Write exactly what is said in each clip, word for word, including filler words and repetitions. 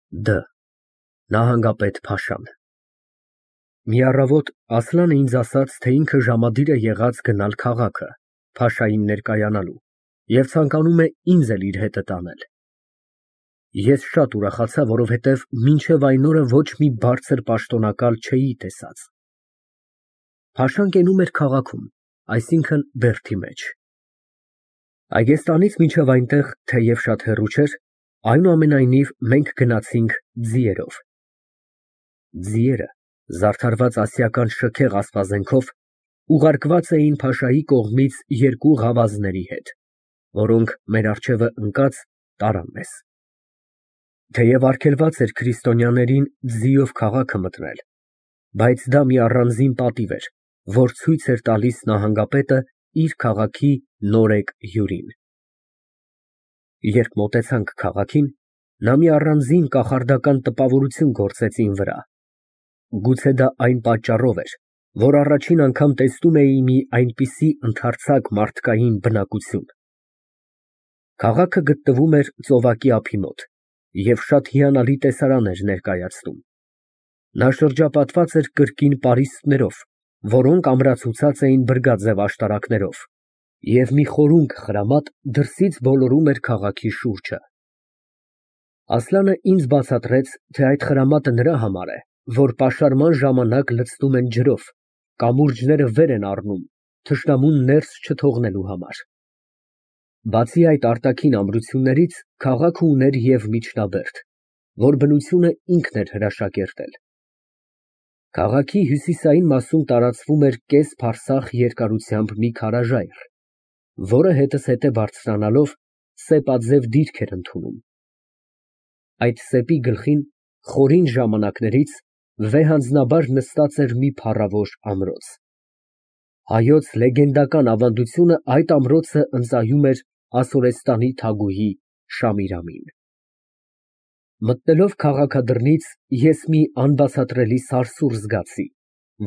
Դ Նահանգապետ Փաշան։ Մի առավոտ Ասլանը ինձ ասաց, թե ինքը ժամադիր է եղած գնալ քաղաքը փաշային ներկայանալու և ցանկանում է ինձ էլ իր հետը տանել։ Ես շատ ուրախացա, որովհետև մինչև այն օրը ոչ մի բարձր պաշտոնակալ չէի տեսած։ Փաշան կենում էր քաղաքում, այսինքն Բերդի մեջ։ Այգեստանից մինչև այնտեղ թեև շատ հեռու չէր, այնուամենայնիվ մենք գնացինք ձիերով։ Ձիերը, զարդարված ասիական շքեղ ասպազենքով, ուղարկված էին փաշայի կողմից երկու ղավազների հետ, որոնք մեր առջևը ընկած տարան մեզ։ Թեև արգելված էր քրիստոնյաներին ձիով քաղաքը մտնել, բայց դա մի առանձին պատիվ էր, որ ցույց էր տալիս նահանգապետը իր քաղաքի նորեկ հյուրին։ Երբ մոտեցանք քաղաքին, նա մի առանձին կախարդական տպավորություն գործեց իմ վրա։ Գուցե դա այն պատճառով էր, որ առաջին անգամ տեսնում էի մի այնպիսի ընդարձակ մարդկային բնակություն։ Քաղաքը գտնվում էր ծովակի ափի մոտ և շատ հիանալի տեսարան էր ներկայացնում։ Նա շրջապատված էր կրկին պարիսպներով, որոնք ամրացուցած էին բրգաձև աշտարակներով, և մի խորունկ խրամատ դրսից ոլորում էր քաղաքի շուրջը։ Ասլանը ինձ բացատրեց, թե այդ խրամատը նրա համար է, որ պաշարման ժամանակ լցնում են ջրով, կամուրջները վեր են առնում, թշնամուն ներս չթողնելու համար։ Բացի այդ արտաքին ամրություններից, քաղաքը ուներ և միջնաբերդ, որ բնությունը ինքն էր հրաշակերտել։ Քաղաքի հյուսիսային մասում տարածվում էր կես֊փարսախ երկարությամբ մի քարաժայռ, որը հետզհետե բարձրանալով սեպաձև դիրք էր ընդունում։ Այդ սեպի գլխին խորին ժամանակներից վեհանձնաբար նստած էր մի փառավոր ամրոց։ Հայոց լեգենդական ավանդությունը այդ ամրոցը ընծայում էր Ասորեստանի թագուհի Շամիրամին։ Մտնելով քաղաքադրնից ես մի անբացատրելի սարսուռ զգացի,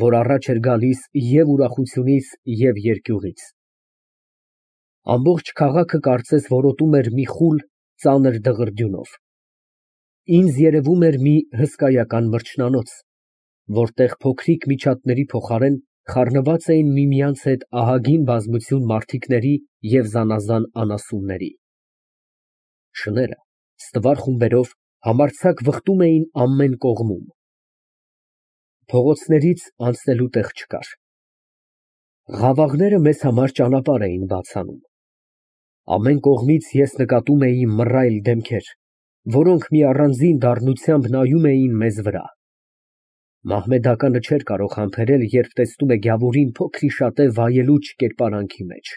որ առաջ էր գալիս և ուրախությունից, և երկյուղից։ Ամբողջ քաղաքը կարծես որոտում էր մի խուլ, ծանր դղրդյունով։ Ինձ երևում էր մի հսկայական մրջնանոց, որտեղ փոքրիկ միջատների փոխարեն խառնված էին միմյանց հետ ահագին բազմություն մարդիկների և զանազան անասունների։ Շները ստվար խումբերով համարձակ վխտում էին ամեն կողմում։ Փողոցներից անցնելու տեղ չկար։ Ղավաղները մեզ համար ճանապարհ էին բաց անում։ Ամեն կողմից ես նկատում էի մռայլ դեմքեր, որոնք մի առանձին դառնությամբ նայում էին մեզ վրա։ Մահմեդականը չէր կարող համբերել, երբ տեսնում է գավուրին փոքրիշատե վայելուչ կերպարանքի մեջ։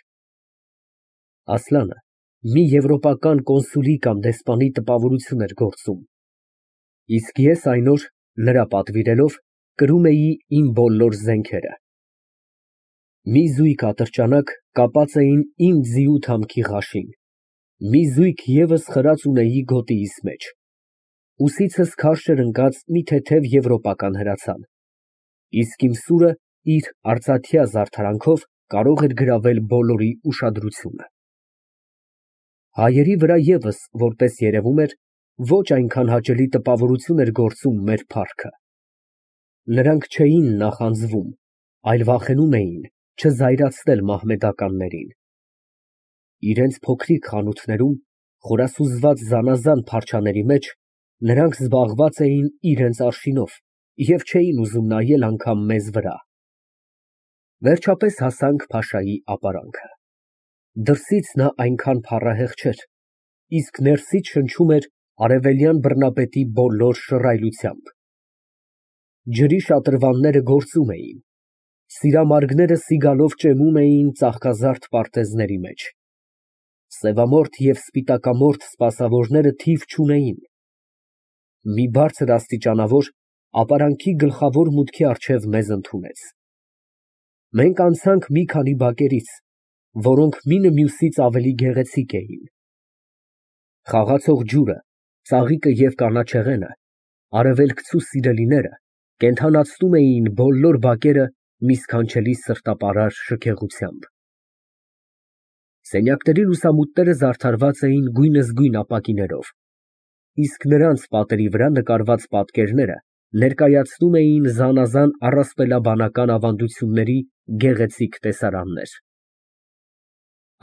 Ասլանը մի եվրոպական կոնսուլի կամ դեսպանի տպավորություն էր գործում, իսկ ես այն օր, նրա պատվիրելով, կրում էի իմ բոլոր զենքերը։ Մի զույգ ատրճանակ կապած էին իմ ձիու թամքի ղաշին, մի զույգ ևս խրած ունեի գոտիիս մեջ, ուսիցս քարշ էր ընկած մի թեթև եվրոպական հրացան, իսկ իմ սուրը իր արծաթյա զարդարանքով կարող էր գրավել բոլորի ուշադրությունը։ Հայերի վրա ևս, որպես երևում էր, ոչ այնքան հաճելի տպավորություն էր գործում մեր փառքը։ Նրանք չէին նախանձվում, այլ վախենում էին չզայրացնել մահմեդականներին։ Իրենց փոքրիկ խանութներում, խորասուզված զանազան փարչաների մեջ, նրանք զբաղված էին իրենց արշինով և չէին ուզում նայել անգամ մեզ վրա։ Վերջապես հասանք փաշայի ապարանքը։ Դրսից նա այնքան փառահեղ չէր, իսկ ներսից շնչում էր արևելյան բռնապետի բոլոր շռայլությամբ։ Ջրի շատրվանները գործում էին, սիրամարգները սիգալով ճեմում էին ծաղկազարդ պարտեզների մեջ։ Սևամորթ և սպիտակամորթ սպասավորները թիվ չունեին։ Մի բարձր աստիճանավոր ապարանքի գլխավոր մուտքի առջև մեզ ընդունեց։ Մենք անցանք մի քանի բակերից, որոնք մինը մյուսից ավելի գեղեցիկ էին։ Խաղացող ջուրը, ծաղիկը և կանաչեղենը, արևելքցու սիրելիները կենդանացնում էին բոլոր բակերը մի սքանչելի սրտապարար շքեղությամբ։ Սենյակների լուսամուտները զարդարված էին գույնզգույն ապակիներով։ իսկ նրանց պատերի վրա նկարված պատկերները ներկայացնում էին զանազան առասպելաբանական ավանդությունների գեղեցիկ տեսարաններ։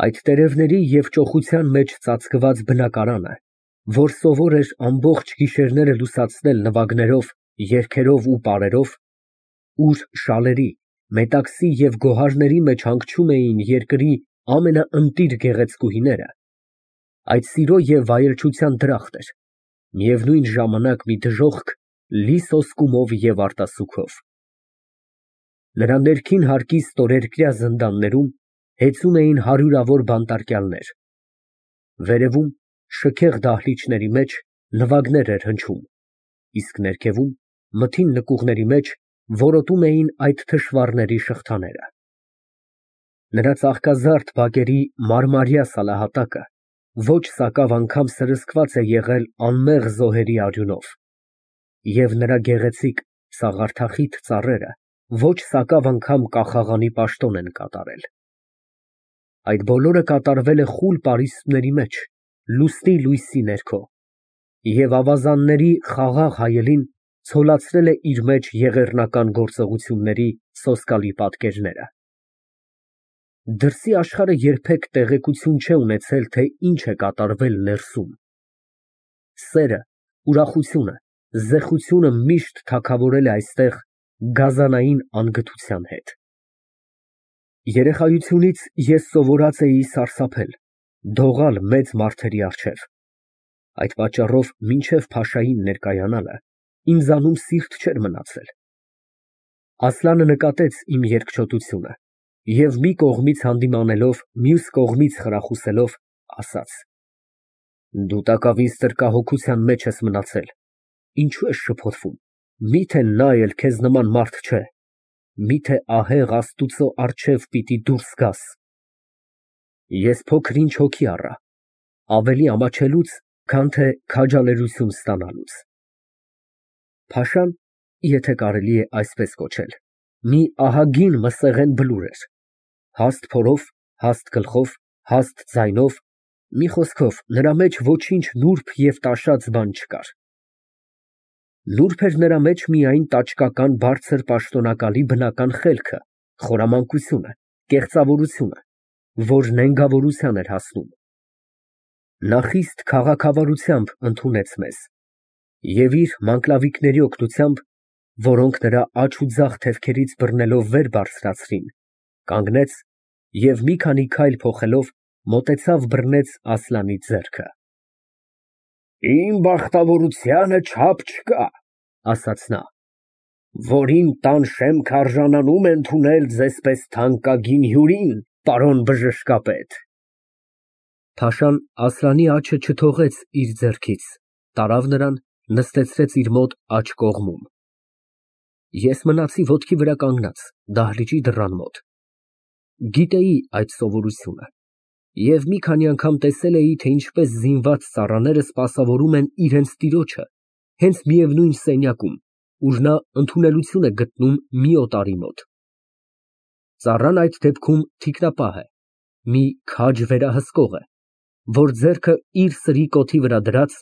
Այդ տերևների և ճոխության մեջ ծածկված բնակարանը, որ սովոր էր ամբողջ գիշերները լուսացնել նվագներով, երգերով ու պարերով, ուր շալերի, մետաքսի և գոհարների մեջ հանգչում էին երկրի ամենաընտիր գեղեցկուհիները, այդ սիրո և վայելչության դրախտ էր, միևնույն ժամանակ մի դժոխք, լի սոսկումով և արտասուքով։ Նրա ներքին հարկի ստորերկրյա զնդաններում հեծում էին հարյուրավոր բանտարկյալներ, վերևում, շքեղ դահլիճների մեջ նվագներ էր հնչում, իսկ ներքևում, մթին նկուղների մեջ որոտում էին այդ թշվառների շղթաները։ Նրա ծաղկազարդ բակերի մարմարյա սալահատակը ոչ սակավ անգամ սրսկված է եղել անմեղ զոհերի արյունով, և նրա գեղեցիկ, սաղարթախիտ ծառերը ոչ սակավ անգամ կախաղանի պաշտոն են կատարել։ Այդ բոլորը կատարվել է խուլ պարիսպների մեջ, լուսնի լույսի ներքո, և ավազանների խաղաղ հայելին ցոլացրել է իր մեջ եղեռնական գործողությունների սոսկալի պատկերները։ Դրսի աշխարհը երբեք տեղեկություն չէ ունեցել, թե ինչ է կատարվել ներսում։ Սերը, ուրախությունը, զեխությունը միշտ թագավորել է այստեղ գազանային անգթության հետ։ Երեխայությունից ես սովորած էի սարսափել, դողալ մեծ մարդերի առջև, այդ պատճառով մինչև փաշային ներկայանալը ինձանում սիրտ չէր մնացել։ Ասլանը նկատեց իմ երկչոտությունը և մի կողմից հանդիմանելով, մյուս կողմից խրախուսելով, ասաց. «Դու տակավին ստրկահոգության մեջ ես մնացել, ինչո՞ւ ես շփոթվում, միթե նա էլ քեզ նման մարդ չէ, միթե ահեղ Աստուծո առջև պիտի դուրս գաս»։ Ես փոքր֊ինչ հոգի առա, ավելի ամաչելուց, քան թե քաջալերություն ստանալուց։ Փաշան, եթե կարելի է այսպես կոչել, մի ահագին մսեղեն բլուր էր, հաստ փորով, հաստ գլխով, հաստ ձայնով, մի խոսքով, նրա մեջ ոչինչ նուրբ և տաշած բան չկար։ Նուրբ էր նրա մեջ միայն տաճկական բարձր պաշտոնակալի բնական խելքը, խորամանկությունը, կեղծավորությունը, որ նենգավորության էր հասնում։ Նա խիստ քաղաքավարությամբ ընդունեց մեզ և իր մանկլավիկների օգնությամբ, որոնք նրա աջ ու ձախ թևքերից բռնելով վեր բարձրացրին, կանգնեց և մի քանի քայլ փոխելով, մոտեցավ բռնեց Ասլանի ձեռքը։ «Իմ բախտավորությանը չափ չկա, ֊ ասաց նա, ֊ որ իմ տան շեմքը արժանանում է ընդունել ձեզպես թանկագին հյուրին, պարոն բժշկապետ»։ Փաշան Ասլանի աջը չթողեց իր ձեռքից, տարավ նրան, նստեցրեց իր մոտ աջ կողմում։ Ես մնացի ոտքի վրա կանգնած, դահլիճի դռան մոտ։ Գիտեի այդ սովորությունը և մի քանի անգամ տեսել էի, թե ինչպես զինված ծառաները սպասավորում են իրենց տիրոջը հենց միևնույն սենյակում, ուր նա ընդունելություն է գտնում մի օտարի մոտ։ Ծառան այդ դեպքում թիկնապահ է, մի քաջ վերահսկող է, որ ձեռքը իր սրի կոթի վրա դրած,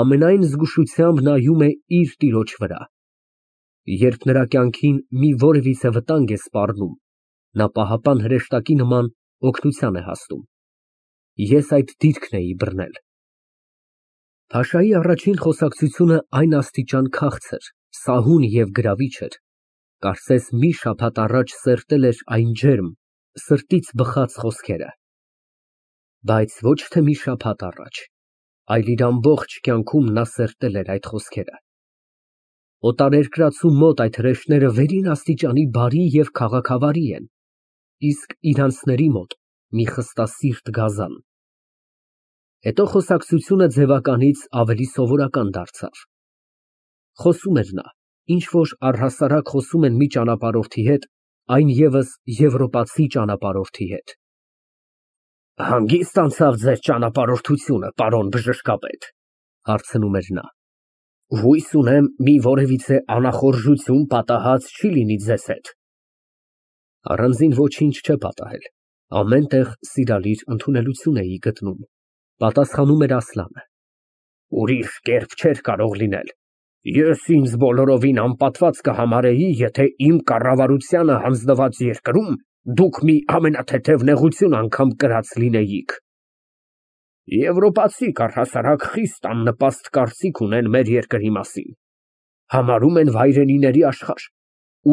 ամենայն զգուշությամբ նայում է իր տիրոջ վրա։ Երբ նրա կյանքին մի որևիցե վտանգ է սպառնում, նա պահապան հրեշտակի նման օգնության է հասնում։ Ես այդ դիրքն էի բռնել։ Փաշայի առաջին խոսակցությունը այն աստիճան քաղցր, սահուն և գրավիչ էր, կարծես մի շաբաթ առաջ սերտել էր այն ջերմ, սրտից բխած խոսքերը։ Բայց ոչ թե մի շաբաթ առաջ, այլ իր ամբողջ կյանքում նա սերտել էր այդ խոսքերը։ Օտարերկրացու մոտ այդ հրեշները վերին աստիճանի բարի և քաղաքավարի են, իսկ իրանցների մոտ մի խստասիրտ գազան։ Հետո խոսակցությունը ձևականից ավելի սովորական դարձավ։ Խոսում էր նա, ինչ որ առհասարակ խոսում են մի ճանապարհորդի հետ, այն ևս եվրոպացի ճանապարհորդի հետ։ «Հանգիստ անցավ ձեր ճանապարհորդությունը, պարոն բժշկապետ, ֊ հարցնում էր նա, ֊ հույս ունեմ, մի որևիցե անախորժություն պատահած չի լինի ձեզ հետ։ Առանձին ոչինչ չէ պատահել, ամեն տեղ սիրալիր ընդունելություն էի գտնում, ֊ պատասխանում էր Ասլանը։ Ուրիշ կերպ չէր կարող լինել։ Ես ինձ բոլորովին անպատված կհամարեի, եթե իմ կառավարությանը հանձնված երկրում դուք մի ամենաթեթև նեղություն անգամ կրած լինեիք։ Եվրոպացիք առհասարակ խիստ աննպաստ կարծիք ունեն մեր երկրի մասին, համարում են վայրենիների աշխարհ,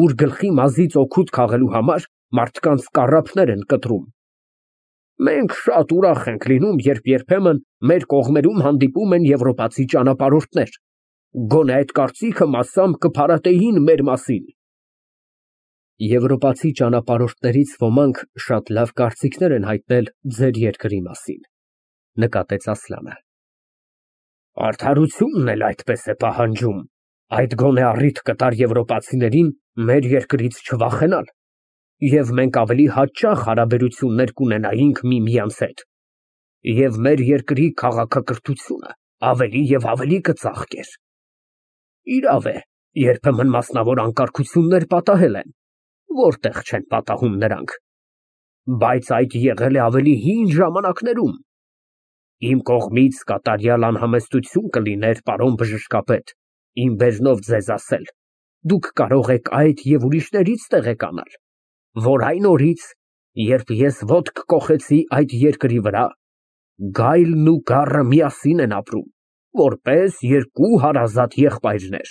ուր գլխի մազից օգուտ քաղելու համար մարդկանց կառափներ են կտրում։ Մենք շատ ուրախ ենք լինում, երբ երբեմն մեր կողմերում հանդիպում են եվրոպացի ճանապարհորդներ, գոնե այդ կարծիքը մասամբ կփարատեին մեր մասին։ Եվրոպացի ճանապարհորդներից ոմանք շատ լավ կարծիքներ են հայտնել ձեր երկրի մասին, նկատեց Ասլանը։ Արդարությունն էլ այդպես է պահանջում, այդ գոնե առիթ կտար եվրոպացիներին մեր երկրից չվախենալ, և մենք ավելի հաճախ հարաբերություններ կունենայինք միմյանց հետ, և մեր երկրի քաղաքակրթությունը ավելի և ավելի կծաղկեր։ Իրավ է, երբեմն մասնավոր անկարգություններ պատահել են, որտեղ չեն պատահում նրանք, բայց այդ եղել է ավելի հին ժամանակներում։ Իմ կողմից կատարյալ անհամեստություն կլիներ, պարոն բժշկապետ, իմ բերնով ձեզ ասել, դուք կարող եք այդ և ուրիշներից տեղեկանալ, որ այն օրից, երբ ես ոտք կոխեցի այդ երկրի վրա, գայլն ու գառը միասին են ապրում, որպես երկու հարազատ եղբայրներ։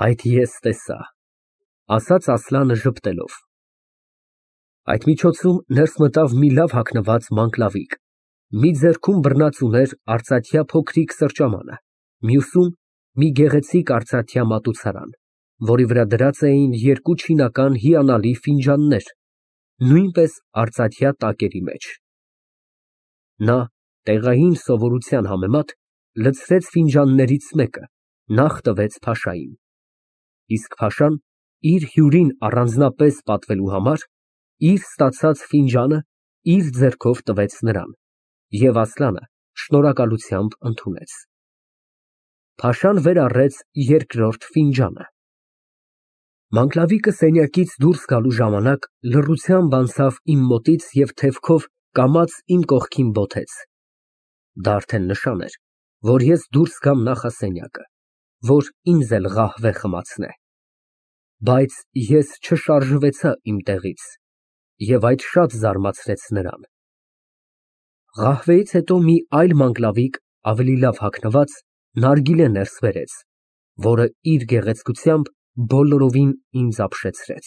Այդ ես տեսա, ասաց Ասլանը ժպտելով։ Այդ միջոցում ներս մտավ մի լավ հագնված մանկլավիկ, մի ձեռքում բռնած ուներ արծաթյա փոքրիկ սրճամանը, մյուսում մի գեղեցիկ արծաթյա մատուցարան, որի վրա դրած էին երկու չինական հիանալի ֆինջաններ, նույնպես արծաթյա տակերի մեջ։ Նա տեղային սովորության համեմատ լցրեց ֆինջաններից մեկը, նախ տվեց փաշային, իսկ փաշան իր հյուրին առանձնապես պատվելու համար իր ստացած ֆինջանը իր ձեռքով տվեց նրան, և Ասլանը շնորհակալությամբ ընդունեց։ Փաշան վեր առեց երկրորդ ֆինջանը։ Մանկլավիկը սենյակից դուրս գալու ժամանակ լռությամբ անցավ իմ մոտից և թևքով կամաց իմ կողքին բոթեց։ Դա արդեն նշան էր, որ ես դուրս գամ նախասենյակը, որ ինձ էլ ղահվե խմացնե։ Բայց ես չշարժվեցա իմ տեղից, և այդ շատ զարմացրեց նրան։ Ղահվեից հետո մի այլ մանկլավիկ, ավելի լավ հագնված, նարգիլե ներս բերեց, որը իր գեղեցկությամբ բոլորովին ինձ ապշեցրեց։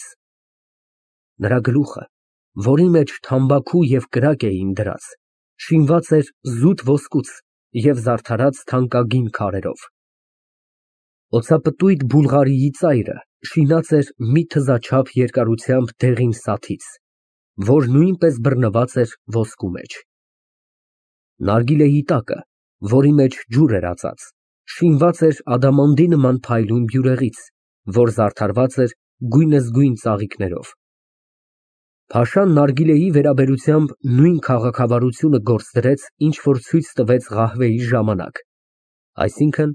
Նրա գլուխը, որի մեջ թամբաքու և կրակ էին դրած, շինված էր զուտ ոսկուց և զարդարած թանկագին քարերով։ Օծապտույտ Բուլղարիի ծայրը շինած էր մի թզաչափ երկարությամբ դեղին սաթից, որ նույնպես բռնված էր ոսկու մեջ։ Նարգիլեի տակը, որի մեջ ջուր էր ածած, շինված էր ադամանդի նման փայլուն բյուրեղից, որ զարդարված էր գույնզգույն ծաղիկներով։ Փաշան նարգիլեի վերաբերությամբ նույն քաղաքավարությունը գործ դրեց, ինչ որ ցույց տվեց ղահվեի ժամանակ, այսինքն՝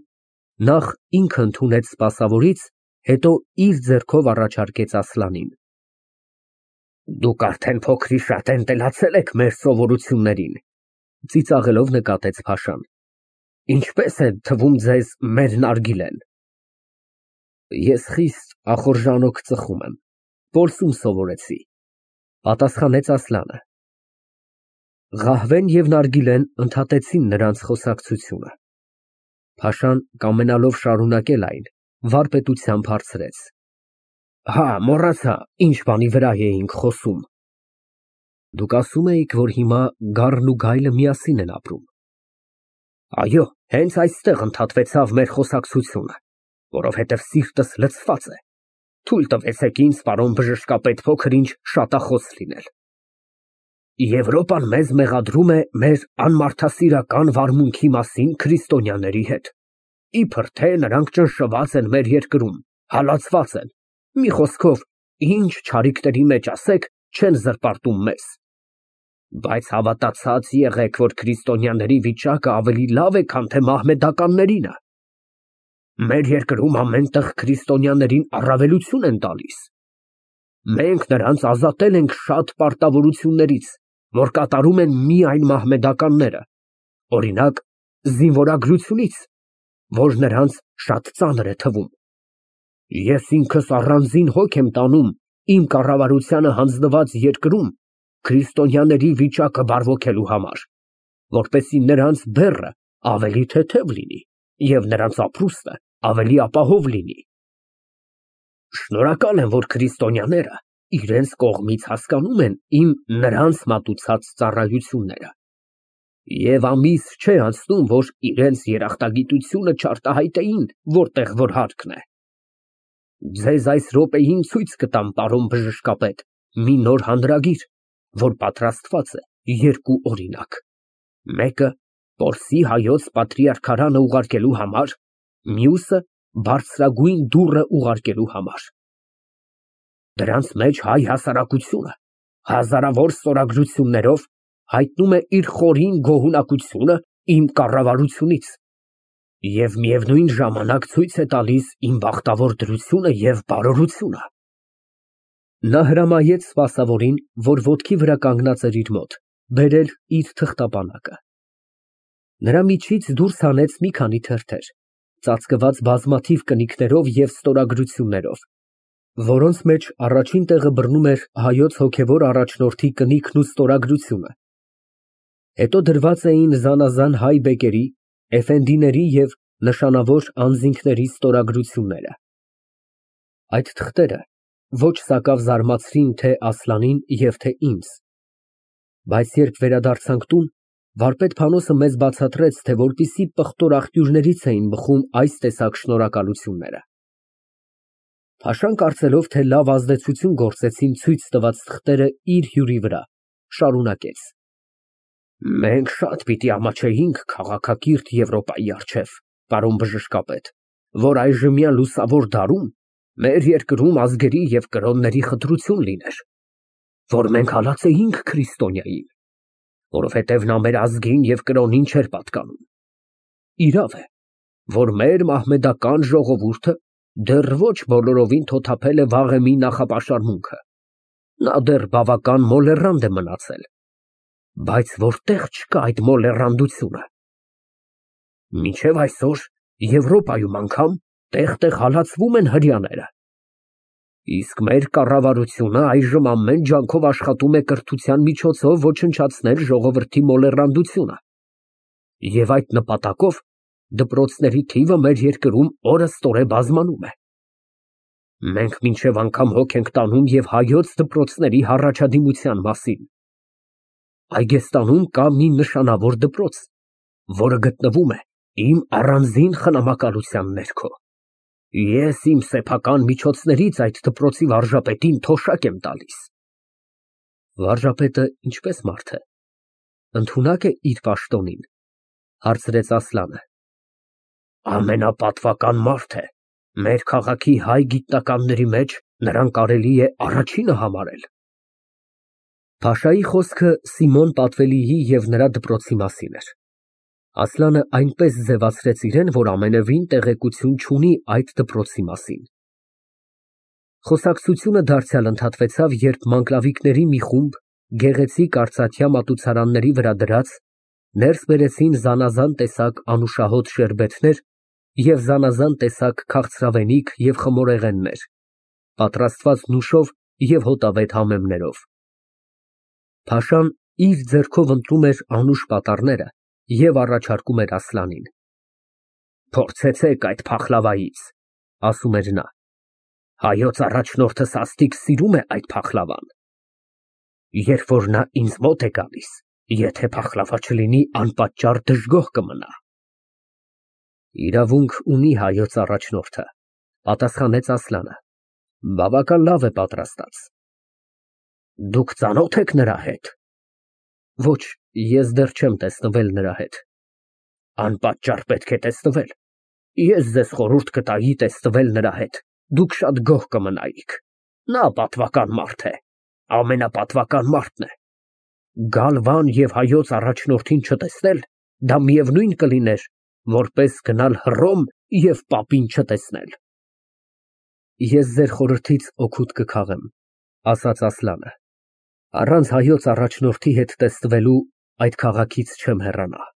նախ ինքը ընդունեց սպասավորից, հետո իր ձեռքով առաջարկեց Ասլանին։ Դուք արդեն փոքրիշատ էնտելացել եք մեր սովորություններին, ծիծաղելով նկատեց Փաշան։ Ինչպե՞ս է թվում ձեզ մեր նարգիլեն։ Ես խիստ ախորժանոք ծխում եմ, որսում սովորեցի, պատասխանեց Ասլանը։ Ղահվեն և նարգիլեն ընդհատեցին նրանց խոսակցությունը։ Փաշան, կամենալով շարունակել այն, վարպետությամբ հարցրեց. Հա, մոռացա, ինչ բանի վրա էինք խոսում։ Դուք ասում էիք, որ հիմա գառն ու գայլը միասին են ապրում։ Այո, հենց այստեղ ընդհատվեցավ մեր խոսակցությունը, որովհետև սիրտս լցված է։ Թույլ տվեցեք ինձ, պարոն բժշկապետ, փոքր-ինչ շատախոս լինել։ Եվրոպան մեզ մեղադրում է մեր անմարդասիրական վարմունքի մասին քրիստոնյաների հետ, իբր թե նրանք ճնշված են մեր երկրում, հալածված են, մի խոսքով, ինչ չարիքների մեջ ասեք, չեն զրպարտում մեզ։ Բայց հավատացած եղեք, որ քրիստոնյաների վիճակը ավելի լավ է, քան թե մահմեդականներինը։ Մեր երկրում ամեն տեղ քրիստոնյաներին առավելություն են տալիս։ Մենք նրանց ազատել ենք շատ պարտավորություններից, որ կատարում են միայն մահմեդականները, օրինակ, զինվորագրությունից, որ նրանց շատ ծանր է թվում։ Ես ինքս առանձին հոգ եմ տանում իմ կառավարությանը հանձնված երկրում քրիստոնյաների վիճակը բարվոքելու համար, որպեսզի նրանց բեռը ավելի թեթև լինի և նրանց ապրուստը ավելի ապահով լինի։ Շնորհակալ եմ, որ քրիստոնյաները իրենց կողմից հասկանում են իմ նրանց մատուցած ծառայությունները և ամիս չէ անցնում, որ իրենց երախտագիտությունը չարտահայտեին որտեղ որ հարկն է։ Ձեզ այս րոպեին ցույց կտամ, պարոն բժշկապետ, մի նոր հանրագիր, որ պատրաստված է երկու օրինակ, մեկը Պորսի հայոց պատրիարքարանը ուղարկելու համար, մյուսը բարձրագույն դուռը ուղարկելու համար։ Դրանց մեջ հայ հասարակությունը հազարավոր ստորագրություններով հայտնում է իր խորին գոհունակությունը իմ կառավարությունից և միևնույն ժամանակ ցույց է տալիս իմ բախտավոր դրությունը և բարօրությունը։ Նա հրամայեց սպասավորին, որ ոտքի վրա կանգնած էր իր մոտ, բերել իր թղթապանակը։ Նրա միջից դուրս հանեց մի քանի թերթեր, ծածկված բազմաթիվ կնիկներով և ստորագրություններով, որոնց մեջ առաջին տեղը բռնում էր հայոց հոգևոր առաջնորդի կնիքն ու ստորագրությունը, հետո դրված էին զանազան հայ բեկերի, էֆենդիների և նշանավոր անձինքների ստորագրությունները։ Այդ թղթերը ոչ սակավ զարմացրին թե Ասլանին և թե ինձ, բայց երբ վերադարձանք տուն, վարպետ Փանոսը մեզ բացատրեց, թե որպիսի պղտոր աղբյուրներից էին բխում այս տեսակ շնորհակալությունները։ Փաշան, կարծելով, թե լավ ազդեցություն գործեցին ցույց տված թղթերը իր հյուրի վրա, շարունակեց. Մենք շատ պիտի ամաչեինք քաղաքակիրթ Եվրոպայի առջև, պարոն բժշկապետ, որ այժմյան լուսավոր դարում մեր երկրում ազգերի և կրոնների խտրություն լիներ, որ մենք հալածեինք քրիստոնյային, որովհետև նա մեր ազգին և կրոնին չէր պատկանում։ Իրավ է, որ մեր մահմեդական ժողովուրդը դեռ ոչ բոլորովին թոթափել է վաղեմի նախապաշարմունքը, նա դեռ բավական մոլեռանդ է մնացել, բայց որտեղ չկա այդ մոլեռանդությունը։ Մինչև այսօր Եվրոպայում անգամ տեղ֊տեղ հալածվում են հրեաները, իսկ մեր կառավարությունը այժմ ամեն ջանքով աշխատում է կրթության միջոցով ոչնչացնել ժողովրդի մոլեռանդությունը և այդ նպատակով դպրոցների թիվը մեր երկրում օրըստօրե բազմանում է։ Մենք մինչև անգամ հոգ ենք տանում և հայոց դպրոցների հառաջադիմության մասին։ Այգեստանում կա մի նշանավոր դպրոց, որը գտնվում է իմ առանձին խնամակալության ներքո։ Ես իմ սեփական միջոցներից այդ դպրոցի վարժապետին թոշակ եմ տալիս։ Վարժապետը ինչպե՞ս մարդ է, ընդունա՞կ է իր պաշտոնին, հարցրեց Ասլանը։ Ամենապատվական մարդ է, մեր քաղաքի հայ գիտնականների մեջ նրան կարելի է առաջինը համարել։ Փաշայի խոսքը Սիմոն Պատվելիի և նրա դպրոցի մասին էր։ Ասլանը այնպես ձևացրեց իրեն, որ ամենևին տեղեկություն չունի այդ դպրոցի մասին։ Խոսակցությունը դարձյալ ընդհատվեցավ, երբ մանկլավիկների մի խումբ գեղեցիկ արծաթյա մատուցարանների վրա դրած ներս բերեցին զանազան տեսակ անուշահոտ շերբեթներ և զանազան տեսակ քաղցրավենիք և խմորեղեններ, պատրաստված նուշով և հոտավետ համեմներով։ Փաշան իր ձեռքով ընտրում էր անուշ պատառները և առաջարկում էր Ասլանին։ Փորձեցեք այդ փախլավայից, ասում էր նա, հայոց առաջնորդը սաստիկ սիրում է այդ փախլավան։ Երբ որ նա ինձ մոտ է գալիս, եթե փախլավա չլինի, անպատճառ դժգոհ կմնա։ Իրավունք ունի հայոց առաջնորդը, պատասխանեց Ասլանը, բավական լավ է պատրաստած։ Դուք ծանո՞թ եք նրա հետ։ Ոչ, ես դեռ չեմ տեսնվել նրա հետ։ Անպատճառ պետք է տեսնվել։ Ես ձեզ խորհուրդ կտայի տեսնվել նրա հետ, դուք շատ գոհ կմնայիք։ Նա պատվական մարդ է, ամենապատվական մարդն է։ Գալ Վան և հայոց առաջնորդին չտեսնել, դա միևնույն կլիներ, որպես գնալ Հռոմ և պապին չտեսնել։ Ես ձեր խորհրդից օգուտ կքաղեմ, ասաց Ասլանը, առանց հայոց առաջնորդի հետ տեսնվելու այդ քաղաքից չեմ հեռանա։